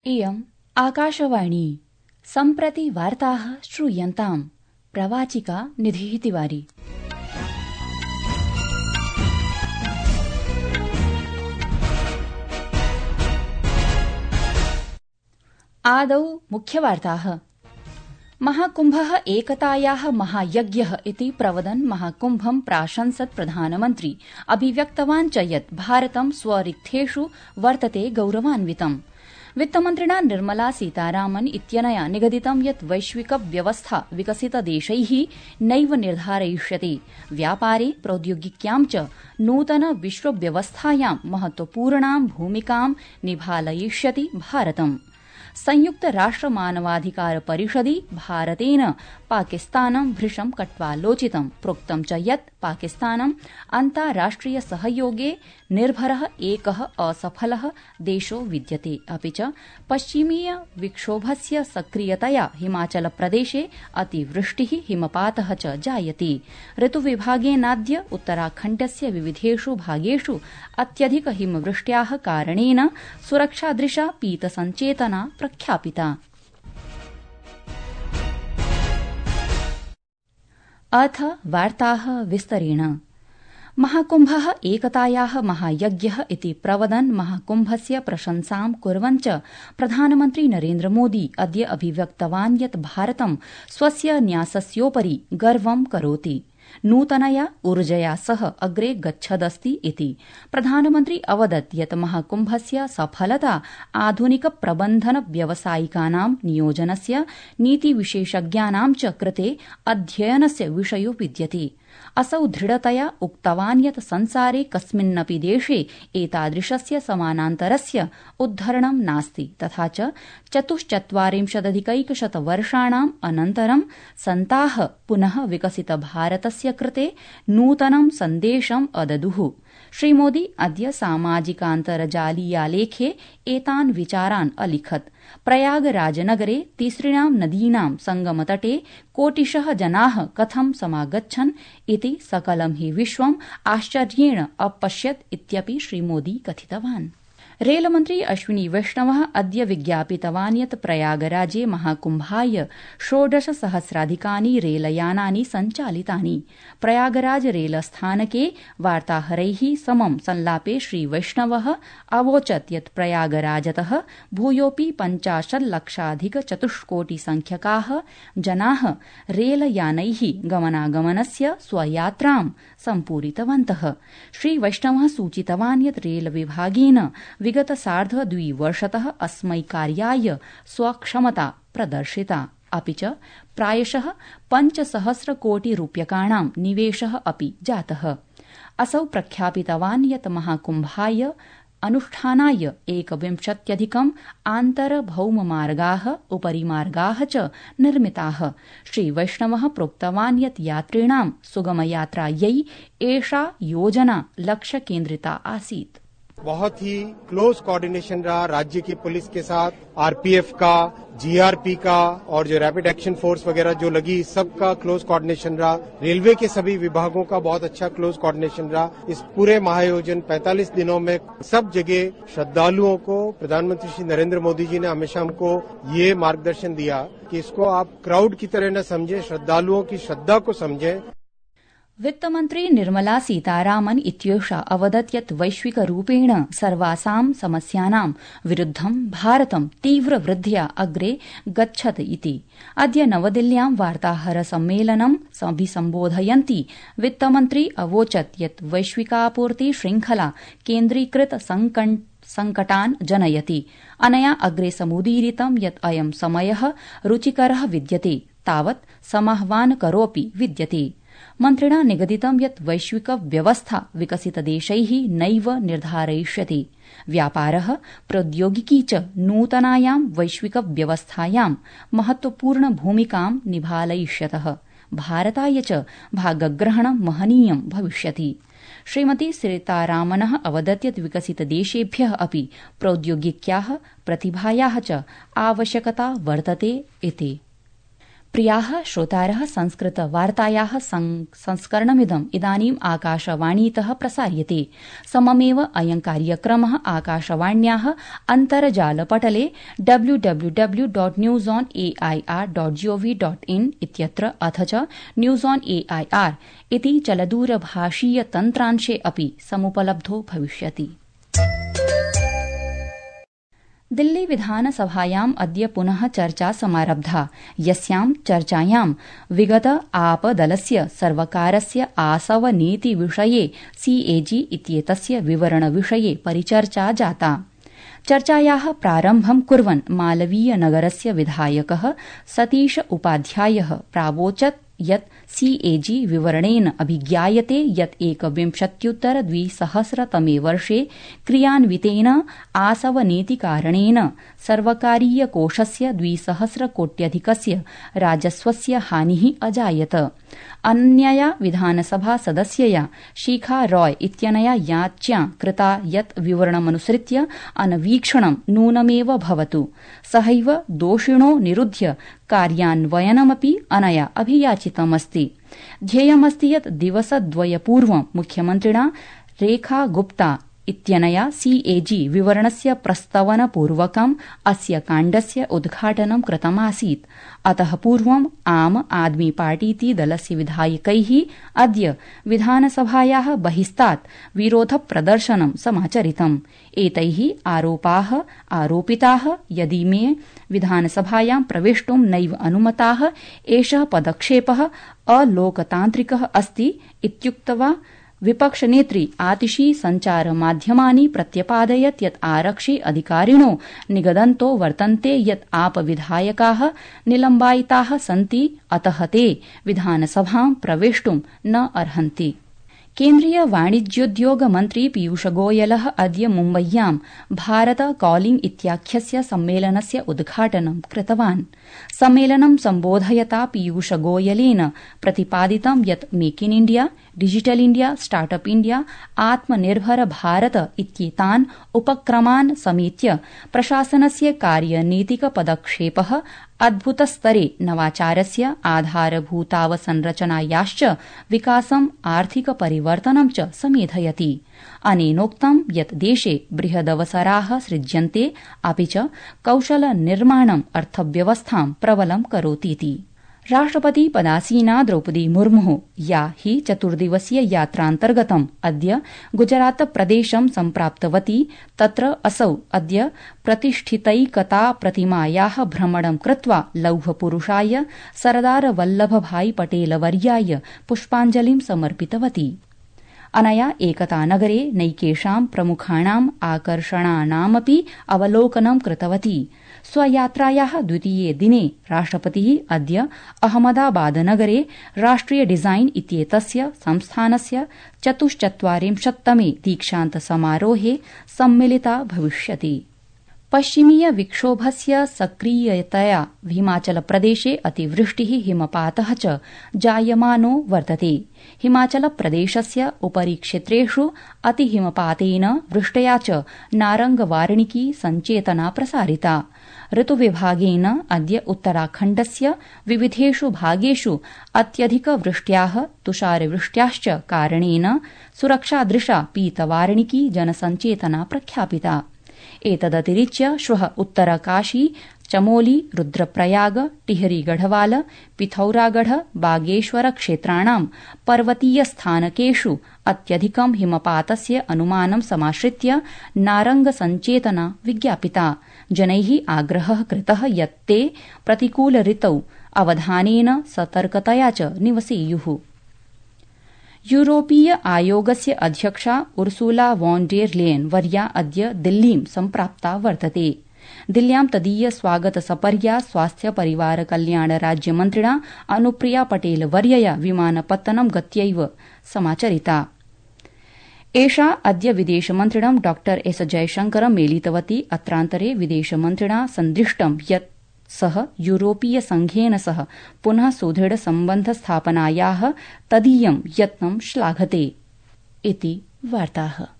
इयम् आकाशवाणी सम्प्रति वार्ताः श्रूयन्ताम्। प्रवाचिका निधिः तिवारी। आदौ मुख्यवार्ताः। महाकुम्भः एकतायाः महायज्ञः इति प्रवदन् महाकुम्भं प्राशंसत् प्रधानमन्त्री अभिव्यक्तवान् च यत् भारतं स्वरिक्थेषु वर्तते गौरवान्वितम्। वित्तमन्त्रिणा निर्मला सीतारामन् इत्यनया निगदितं यत् वैश्विक व्यवस्था विकसितदेशैः नैव निर्धारयिष्यते, व्यापारे प्रौद्योगिक्यां च नूतन विश्वव्यवस्थायां महत्वपूर्णां भूमिकां निभालयिष्यति भारतम्। संयुक्त राष्ट्र मानवाधिकार परिषदि भारतेन पाकिस्तानं भृशं कट्वालोचितं, प्रोक्तं च यत् पाकिस्तानम् अन्ताराष्ट्रिय सहयोगे निर्भरः एकः असफलः देशो विद्यते। अपि च पश्चिमीय विक्षोभस्य सक्रियतया हिमाचलप्रदेशे अतिवृष्टिः हिमपातः च जायते। ऋतुविभागेनाद्य उत्तराखण्डस्य विविधेषु भागेषु अत्यधिक हिमवृष्ट्याः कारणेन सुरक्षादृशा पीतसञ्चेतना प्रख्यापिता। अथ वार्ताः विस्तरेण। महाकुम्भः एकतायाः महायज्ञः इति प्रवदन् महाकुम्भस्य प्रशंसां कुर्वन् च प्रधानमन्त्री नरेन्द्र मोदी अद्य अभिव्यक्तवान् यत् भारतं स्वस्य न्यासस्योपरि गर्वं करोति, नूतनया ऊर्जया सह अग्रे गच्छदस्ति इति। प्रधानमन्त्री अवदत् यत् महाकुम्भस्य सफलता आधुनिक प्रबन्धन व्यावसायिकानां नियोजनस्य नीतिविशेषज्ञानां च कृते अध्ययनस्य विषयो विद्यते। असौ दृढतया उक्तवान् यत् संसारे कस्मिन्नपि देशे एतादृशस्य समानान्तरस्य उद्धरणं नास्ति, तथा च 44,000 वर्षाणाम् अनन्तरं सन्ताः पुनः विकसित भारतस्य कृते नूतनं सन्देशम् अददुः। श्रीमोदी अद्य सामाजिकान्तर्जालीयालेखे एतान् विचारान् अलिखत्। प्रयागराजनगरे तिसृणां नदीनां संगमतटे कोटिशः जनाः कथं समागच्छन् इति सकलं हि विश्वम् आश्चर्येण अपश्यत् इत्यपि श्रीमोदी कथितवान्। रेलमन्त्री अश्विनी वैष्णवः अद्य विज्ञापितवान् यत् प्रयागराजे महाकुम्भाय 16,000 रेलयानानि सञ्चालितानि। प्रयागराज रेलस्थानके वार्ताहरैः समं संलापे श्रीवैष्णवः अवोचत् यत् प्रयागराजतः भूयोऽपि 50,00,000 जनाः रेलयानैः गमनागमनस्य स्वयात्रां सम्पूरितवन्तः। श्रीवैष्णवः सूचितवान् यत् रेलविभागेन विगत सार्ध-2 वर्षतः अस्मै कार्याय स्वक्षमता प्रदर्शिता, अपि च प्रायशः 5,000 कोटि रूप्यकाणां निवेशः अपि जातः। असौ प्रख्यापितवान् यत् महाकुम्भाय अनुष्ठानाय 21 आन्तरभौममार्गाः उपरिमार्गाः च निर्मिताः। श्रीवैष्णवः प्रोक्तवान् यत् यात्रिणां सुगमयात्रायै एषा योजना लक्ष्यकेन्द्रिता आसीत्। बहुत ही क्लोज कोऑर्डिनेशन रहा राज्य की पुलिस के साथ, आरपीएफ का, जीआरपी का और जो रैपिड एक्शन फोर्स वगैरह जो लगी, सबका क्लोज कोऑर्डिनेशन रहा। रेलवे के सभी विभागों का बहुत अच्छा क्लोज कोऑर्डिनेशन रहा। इस पूरे महाआयोजन 45 दिनों में सब जगह श्रद्धालुओं को प्रधानमंत्री श्री नरेंद्र मोदी जी ने हमेशा हमको ये मार्गदर्शन दिया कि इसको आप क्राउड की तरह न समझें, श्रद्धालुओं की श्रद्धा को समझें। वित्तमन्त्री निर्मला सीतारामन् इत्येषा अवदत् यत् वैश्विकरूपेण सर्वासां समस्यानां विरुद्धं भारतं तीव्रवृद्ध्या अग्रे गच्छत् इति। अद्य नवदिल्ल्यां वार्ताहरसम्मेलनं अभिसम्बोधयन्ती वित्तमन्त्री अवोचत् यत् वैश्विकापूर्ति श्रृंखला केन्द्रीकृत संकटान् जनयति। अनया अग्रे समुदीरितं यत् अयं समयः रुचिकरः विद्यते, तावत् समाह्वानकरोऽपि विद्यते। मन्त्रिणा निगदितं यत् वैश्विक व्यवस्था विकसितदेशैः नैव निर्धारयिष्यते, व्यापारः प्रौद्योगिकी च नूतनायां वैश्विक व्यवस्थायां महत्वपूर्ण भूमिकां निभालयिष्यतः। भारताय च भागग्रहणं महनीयं भविष्यति। श्रीमती सीतारामनः अवदत् यत् विकसितदेशेभ्यः अपि प्रौद्योगिक्याः प्रतिभायाः च आवश्यकता वर्तते इति। प्रियाः श्रोतारः, संस्कृतवार्तायाः संस्करणमिदम् इदानीम् आकाशवाणीतः प्रसार्यते। सममेव अयं कार्यक्रमः आकाशवाण्याः अन्तर्जालपटले www.newsonair.gov.in इत्यत्र अथ च न्यूज ऑन एआईआर इति चलदूरभाषीय तन्त्रांशे अपि समुपलब्धो भविष्यति। दिल्ली विधानसभायाम् अद्य पुनः चर्चा समारब्धा, यस्यां चर्चायां विगत आपदलस्य सर्वकारस्य आसवनीतिविषये सीएजी इत्येतस्य विवरणविषये परिचर्चा जाता। चर्चायाः प्रारम्भं कुर्वन् मालवीयनगरस्य विधायकः सतीश उपाध्यायः प्रावोचत् यत् सीएजी विवरणेन अभिज्ञायते यत् 21-2000 वर्षे क्रियान्वितेन आसवनीतिकारणेन सर्वकारीयकोषस्य 200 कोट्यधिकस्य राजस्वस्य हानिः अजायत। अन्यया विधानसभा सदस्यया शिखा रॉय इत्यनया याच्या कृता यत् विवरणमनुसृत्य अन्वीक्षणं नूनमेव भवतु, सहैव दोषिणो निरुध्य कार्यान्वयनमपि अनया अभियाचितमस्ति। ध्येयमस्ति यत् दिवसद्वयपूर्वं मुख्यमन्त्रिणा रेखा गुप्ता इत्यनया सीएजी विवरणस्य प्रस्तवनपूर्वकम् अस्य काण्डस्य उद्घाटनं कृतमासीत्। अतः पूर्वम् आम आदमी पार्टीति दलस्य विधायकैः अद्य विधानसभायाः बहिस्तात् विरोधप्रदर्शनं समाचरितम्। एतैः आरोपाः आरोपिताः यदिमे विधानसभायां प्रवेष्टुं नैव अनुमताः, एषः पदक्षेपः अलोकतान्त्रिकः अस्ति इत्युक्त्वा विपक्षनेत्री आतिशी सञ्चारमाध्यमानि प्रत्यपादयत् यत् आरक्षि अधिकारिणो निगदन्तो वर्तन्ते यत् आपविधायकाः निलम्बायिताः सन्ति, अतः ते विधानसभां प्रवेष्टुं न अर्हन्ति। केन्द्रीय वाणिज्योद्योग मन्त्री पीयूषगोयलः अद्य मुम्बय्यां भारत कॉलिंग इत्याख्यस्य सम्मेलनस्य उद्घाटनं कृतवान्। सम्मेलनं सम्बोधयता पीयूषगोयलेन प्रतिपादितं यत् make in India, digital India, startup India, आत्मनिर्भर भारत इत्येतान् उपक्रमान् समेत्य प्रशासनस्य कार्यनीतिक पदक्षेपः अद्भुतस्तरे नवाचारस्य आधारभूतावसंरचनायाश्च विकासम्, आर्थिक परिवर्तनं च समेधयति। अनेनोक्तं यत् देशे बृहदवसराः सृज्यन्ते, अपि च कौशलनिर्माणम् अर्थव्यवस्थां प्रबलं करोतीति। राष्ट्रपति पदासीना द्रौपदी मुर्मुः, या हि चतुर्दिवसीय यात्रान्तर्गतम् अद्य गुजरात प्रदेशं सम्प्राप्तवती, तत्र असौ अद्य प्रतिष्ठितैकता प्रतिमायाः भ्रमणं कृत्वा लौहपुरुषाय सरदार वल्लभभाई पटेलवर्याय पुष्पाञ्जलिं समर्पितवती। अनया एकतानगरे नैकेषां प्रमुखाणाम् आकर्षणानामपि अवलोकनं कृतवती। स्वयात्रायाः द्वितीये दिने राष्ट्रपतिः अद्य अहमदाबादनगरे राष्ट्रिय डिजाइन इत्येतस्य संस्थानस्य 44तमे दीक्षान्तसमारोहे सम्मिलिता भविष्यति। पश्चिमीय विक्षोभस्य सक्रियतया हिमाचलप्रदेशे अतिवृष्टिः, हिमपातः च जायमानो वर्तते। हिमाचलप्रदेशस्य उपरि क्षेत्रेषु अतिहिमपातेन वृष्ट्या च नारंगवार्णिकी सञ्चेतना प्रसारिता। ऋतुविभागेन अद्य उत्तराखण्डस्य विविधेषु भागेषु अत्यधिकवृष्ट्याः, तुषारवृष्ट्याश्च कारणेन सुरक्षादृशा पीतवार्णिकी जनसञ्चेतना प्रख्यापिता। एतदतिरिच्य श्वः उत्तरकाशी, चमोली, रुद्रप्रयाग, टिहरी गढ़वाल, पिथौरागढ़, बागेश्वर क्षेत्राणां पर्वतीयस्थानकेषु अत्यधिकं हिमपातस्य अनुमानं समाश्रित्य नारंगसञ्चेतना विज्ञापिता। जनैः आग्रहः कृतः यत् ते प्रतिकूलऋतौ अवधानेन सतर्कतया च निवसेयुः। यूरोपीय आयोगस्य अध्यक्षा उर्सुला वॉन डेर लेयन वर्या अद्य दिल्लीं सम्प्राप्ता वर्तते। दिल्ल्यां तदीय स्वागतसपर्या स्वास्थ्य परिवार कल्याण राज्यमन्त्रिणा अनुप्रिया पटेल वर्यया विमानपत्तनं गत्यैव समाचरिता। एषा अद्य विदेशमन्त्रिणं डॉ एस जयशंकरं मेलितवती। अत्रान्तरे विदेशमन्त्रिणा सन्दृष्टं यत् सः यूरोपीय संघेन सह पुनः सुदृढ सम्बन्ध स्थापनायाः तदीयं यत्नं श्लाघते। इति वार्ताः।